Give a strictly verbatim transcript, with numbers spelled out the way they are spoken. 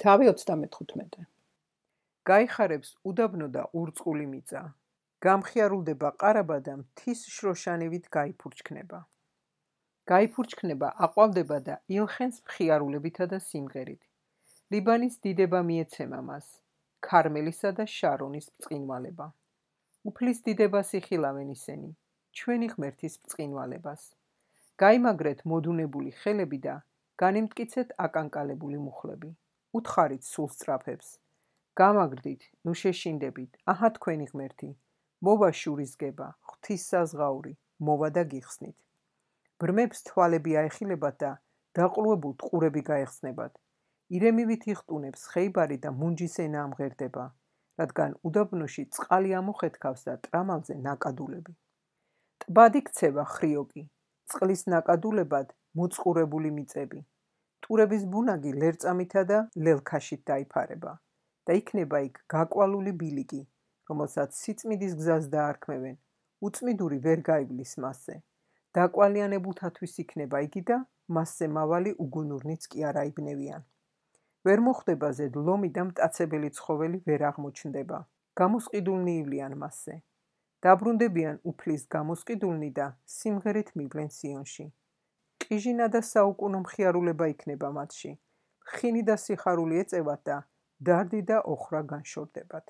თავი ოცდამეთხუთმეტე. გაიხარებს უდაბნო და ურწყული მიწა. გამხიარულდება ყარაბა და მთის შროშანივით გაიფურჩქნება. გაიფურჩქნება, აყვავდება და ილხენს მხიარულებითა და სიმღერით. ლიბანის დიდება მიეცემა მას, ქარმელისა და შარონის ბრწყინვალება. უფლის დიდებას იხილავენ ისინი, ჩვენი ღმერთის ბრწყინვალებას. გაიმაგრეთ მოდუნებული ხელები და განიმტკიცეთ აკანკალებული მუხლები. უთხარით სულ სწრაფებს. გამაგრდით, ნუ შეშინდებით, აჰა თქვენი ღმერთი, მოვა შურისგება, ღვთის საზღაური, მოვა და გიხსნით. ბრმებს თვალები აეხილებათ და დაყრუებულ ტყურები გაეხსნებათ. ირემივით იხტუნებს ხეიბარი და მუნჯის ენა ამღერდება, რადგან უდაბნოში წყალი ამოხეთქავს და ტრამალზე ნაკადულები. ტბად იქცევა ხრიოკი, წყლის ნაკადულებად მოწყურებული მიწები. ტურების ბუნაგი ლერწამითა და ლელქაშით დაიფარება და იქნება იქ გაკვალული ბილიკი, რომელსაც სიწმიდის გზას დაარქმევენ, უწმიდური ვერ გაივლის მასზე. დაკვალიანებულთათვის იქნება იგი და მასზე მავალი უგუნურნიც კი არ აიბნევიან. ვერ მოხვდება ზედ ლომი და მტაცებელი ცხოველი ვერ აღმოჩნდება. გამოსყიდულნი ივლიან მასზე. დაბრუნდებიან უფლის გამოსყიდულნი და სიმღერით მივლენ სიონში. ყიჟინა და საუკუნო მხიარულება იქნება მათში. ხინი და სიხარული ეწევათ და დარდი და ოხრა განშორდებათ.